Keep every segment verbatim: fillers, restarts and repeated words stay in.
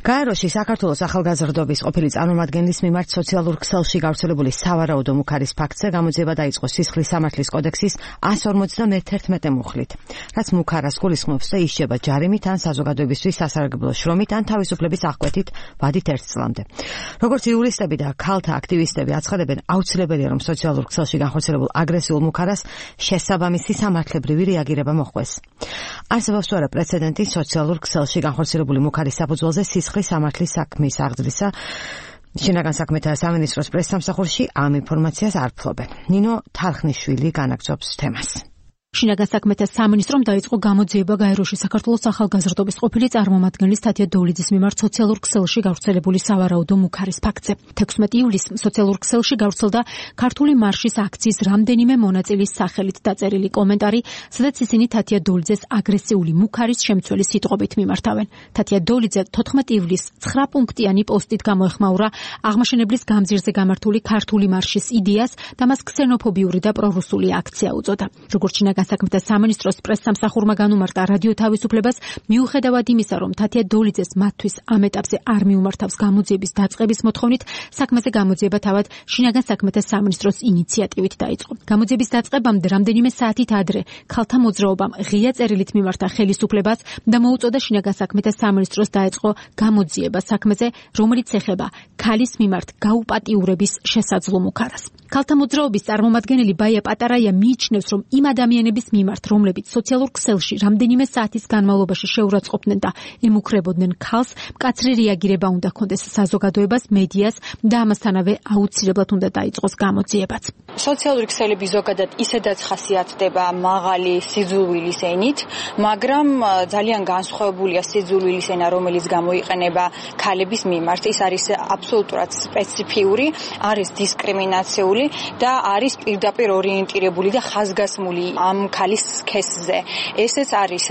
გაეროში საქართველოს ახალგაზრდობის ყოფილი წარმომადგენლის მიმართ სოციალურ ქსელში გავრცელებული სავარაუდო მუქარის ფაქტზე გამოძიება დაიწყო სისხლის სამართლის კოდექსის εκατს ორმოცდამეთერთმეტე მუხლით, რაც მუქარას გულისხმობს, რომ ისჯება ჯარიმით ან საზოგადოებისთვის სასარგებლო შრომით ან თავისუფლების აღკვეთით ვადით ერთ წლამდე. როგორც იურისტები და ქალთა აქტივისტები აცხადებენ, აუცილებელია, რომ სოციალურ ქსელში განხორციელებულ აგრესიულ მუქარას შესაბამისი სამართლებრივი რეაგირება მოჰყვეს. არსებობს თუ არა პრეცედენტი სოციალურ ქსელში განხორციელებული მუქარის საფუძველზე სისხლის სამართლის საქმის აღძრისა. შინაგან საქმეთა სამინისტროს პრესსამსახურში ამ ინფორმაციას არ ფლობენ. ნინო თარხნიშვილი განაგრძობს თემას. შინაგან საქმეთა სამინისტრომ დაიწყო გამოძიება გაეროში საქართველოს ახალგაზრდობის ყოფილი წარმომადგენლის თათია დოვლიძის მიმართ სოციალურ ქსელში გავრცელებული სავარაუდო მუქარის ფაქტზე. თექვსმეტი ივლისს სოციალურ ქსელში გავრცელდა ქართული მარშის აქციის რამდენიმე მონაწილის სახელით დაწერილი კომენტარი, სადაც ისინი თათია დოვლიძეს აგრესიული მუქარის შემცველი სიტყვებით მიმართავენ. თათია დოვლიძე თოთხმეტი ივლისს ცხრა პუნქტიანი პოსტით გამოეხმაურა აღმაშენებლის გამზირზე გამართული ქართული მარშის იდეას და მას ქსენოფობიური და პრორუსული აქცია უწოდა. როგორც შინაგან საქმეთა სამინისტროს პრესსამსახურმა განუმარტა რადიო თავისუფლებას, მიუხედავად იმისა, რომ თათია დოვლიძეს მათთვის ამ ეტაპზე არ მიუმართავს გამოძიების დაწყების მოთხოვნით, საქმეზე გამოძიება თავად შინაგან საქმეთა სამინისტროს ინიციატივით დაიწყო. გამოძიების დაწყებამდე რამდენიმე საათით ადრე ქალთა მოძრაობამ ღია წერილით მიმართა ხელისუფლებას და მოუწოდა შინაგან საქმეთა სამინისტროს დაეწყო გამოძიება საქმეზე, რომელიც ეხება ქალის მიმართ გაუპატიურების შესაძლო მუქარას. ქალთა მოძრაობის წარმომადგენელი ბაია პატარაია მიიჩნევს, რომ იმ ადამიანების მიმართ, რომლებიც სოციალურ ქსელში რამდენიმე საათის განმავლობაში შეურაცხყოფდნენ და ემუქრებოდნენ ქალს, მკაცრი რეაგირება უნდა ჰქონდეს საზოგადოებას, მედიას და ამასთანავე აუცილებლად უნდა დაიწყოს გამოძიებაც. სოციალური ქსელები ზოგადად ისედაც ხასიათდება მაღალი სიძულვილის ენით, მაგრამ ძალიან განსხვავებულია სიძულვილის ენა, რომელიც გამოიყენება ქალების მიმართ. ის არის აბსოლუტურად სპეციფიური, არის დისკრიმინაციული და არის პირდაპირ ორიენტირებული და ხაზგასმული ამ ქალის სქესზე. ესეც არის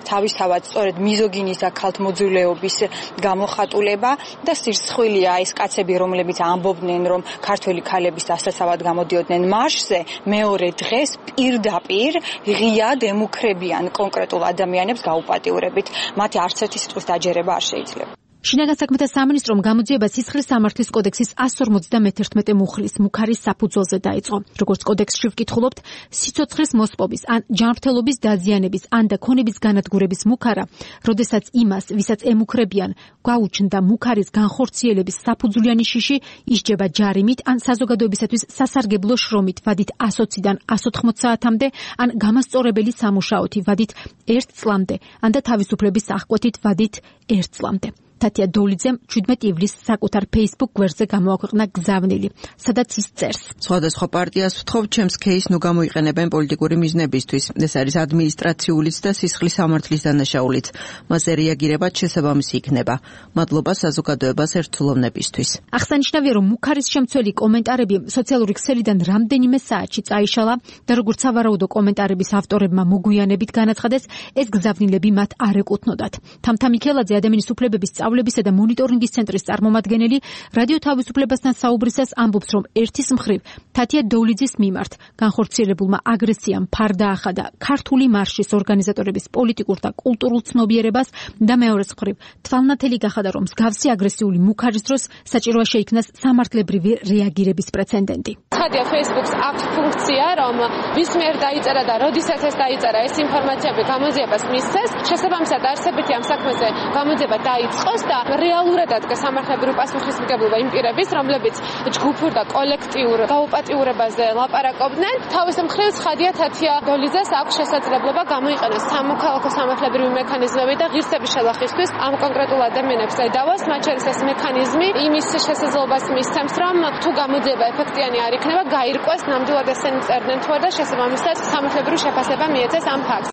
თავისთავად სწორედ მიზოგინის და ქალთმოძულეობის გამოხატულება და სირცხვილია ეს კაცები, რომლებიც ამბობდნენ, რომ ქართველი ქალების დასაცავად გამოდიოდნენ მარშზე, მეორე დღეს პირდაპირ ღიად ემუქრებიან კონკრეტულ ადამიანებს გაუპატიურებით. მათი არც ერთი სიტყვის დაჯერება არ შეიძლება. შინაგან საქმეთა სამინისტრომ გამოძიება სისხლის სამართლის კოდექსის εκατს ორმოცდამეთერთმეტე მუხლის მუქარის საფუძველზე დაიწყო. როგორც კოდექსში ვკითხულობთ, სიცოცხლის მოსპობის ან ჯანმრთელობის დაზიანების ან და ქონების განადგურების მუქარა, როდესაც იმას, ვისაც ემუქრებიან, გაუჩნდა მუქარის განხორციელების საფუძვლიანი შიში, ისჯება ჯარიმით ან საზოგადოებისათვის სასარგებლო შრომით ვადით ასოციდან ასს ოთხმოც საათამდე, ან გამასწორებელი სამუშაოთი ვადით ერთ წლამდე, ან და თავისუფლების აღკვეთით ვადით ერთ წლამდე. თათია დოვლიძემ შვიდმეტი ივლისს საკუთარ Facebook გვერდზე გამოაქვეყნა გზავნილი, სადაც ის წერს. სხვადასხვა პარტიას ვთხოვ, ჩემს кейს ნუ გამოიყენებენ პოლიტიკური მიზნებისთვის. ეს არის ადმინისტრაციულიც და სისხლის სამართლის დანაშაულიც. მასზე რეაგირებაც შესაბამისი იქნება. მადლობა საზოგადოებას ერთსულოვნებისთვის. აღსანიშნავია, რომ მუქარის შემცველი კომენტარები სოციალური ქსელიდან რამდენიმე საათში წაიშალა და როგორც სავარაუდო კომენტარების ავტორებმა მოგვიანებით განაცხადეს, ეს გზავნილები მათ არ ეკუთვნოდათ. თამთა მიქელაძე ადამიანის უფლებების სწავლებისა და მონიტორინგის ცენტრის წარმომადგენელი რადიო თავისუფლებასთან საუბრისას ამბობს, რომ ერთის მხრივ თათია დოვლიძის მიმართ განხორციელებულმა აგრესიამ ფარდა ახადა ქართული მარშის ორგანიზატორების პოლიტიკურ და კულტურულ ცნობიერებას და მეორეს მხრივ თვალნათელი გახადა, რომ მსგავსი აგრესიული მუქარის დროს საჭიროა შეიქმნას სამართლებრივი რეაგირების პრეცედენტი. ხადია Facebook-ს აქვს ფუნქცია, რომ ვის მიერ დაიწერა და როდესაც ეს დაიწერა, ეს ინფორმაციები გამოძიებას მისცეს. შესაბამისად, არსებითი ამ საქმეზე გამოძიება დაიწყოს და რეალურად ადგას სამართლებრივი პასუხისმგებლობა იმ პირების, რომლებიც ჯგუფურ და კოლექტიურ გაუპატიურებაზე ლაპარაკობდნენ. თავის მხრივ ხადია თათია დოვლიძეს აქვს შესაძლებლობა გამოიყენოს სამოქალაქო სამართლებრივი მექანიზმები და ღირსების შელახისთვის ამ კონკრეტულ ადამიანებს ედავოს. მათ შორის ეს მექანიზმი იმის შესაძლებლობას მისცემს, რომ თუ გამოძიება ეფექტიანი არ იქნება, გაირკვეს ნამდვილად ესენი წერდნენ თუ არა და შესაბამისად სამართლებრივი შეფასება მიეცეს ამ ფაქტს.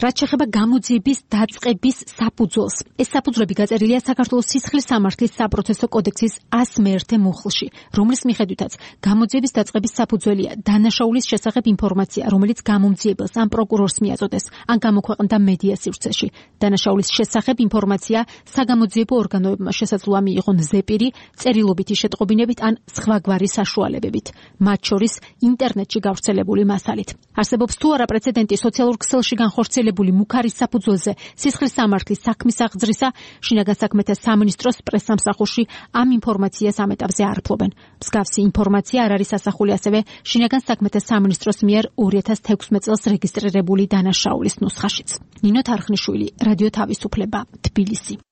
რაც შეეხება გამოძიების დაწყების საფუძველს, ეს საფუძვლები გაწერილია საქართველოს სისხლის სამართლის საპროცესო კოდექსის εκατს მეერთე მუხლში, რომლის მიხედვითაც გამოძიების დაწყების საფუძველია დანაშაულის შესახებ ინფორმაცია, რომელიც გამომძიებელს ან პროკურორს მიაწოდეს, ან გამოქვეყნდა მედია სივრცეში. დანაშაულის შესახებ ინფორმაცია საგამოძიებო ორგანოებმა შესაძლოა მიიღონ ზეპირი, წერილობითი შეტყობინებით ან სხვაგვარი საშუალებებით, მათ შორის ინტერნეტში გავრცელებული მასალით. არსებობს თუ არა პრეცედენტი სოციალურ ქსელში განხორციელებული გავრცელებული მუქარის საფუძველზე სისხლის სამართლის საქმის აღძრისა შინაგან საქმეთა სამინისტროს პრესსამსახურში ამ ინფორმაციას ამეტავზე არ ფლობენ. მსგავსი ინფორმაცია არ არის ასახული ასევე შინაგან საქმეთა სამინისტროს მიერ ორი ათას თექვსმეტ წელს რეგისტრირებული დანაშაულის ნუსხაშიც. ნინო თარხნიშვილი, რადიო თავისუფლება, თბილისი.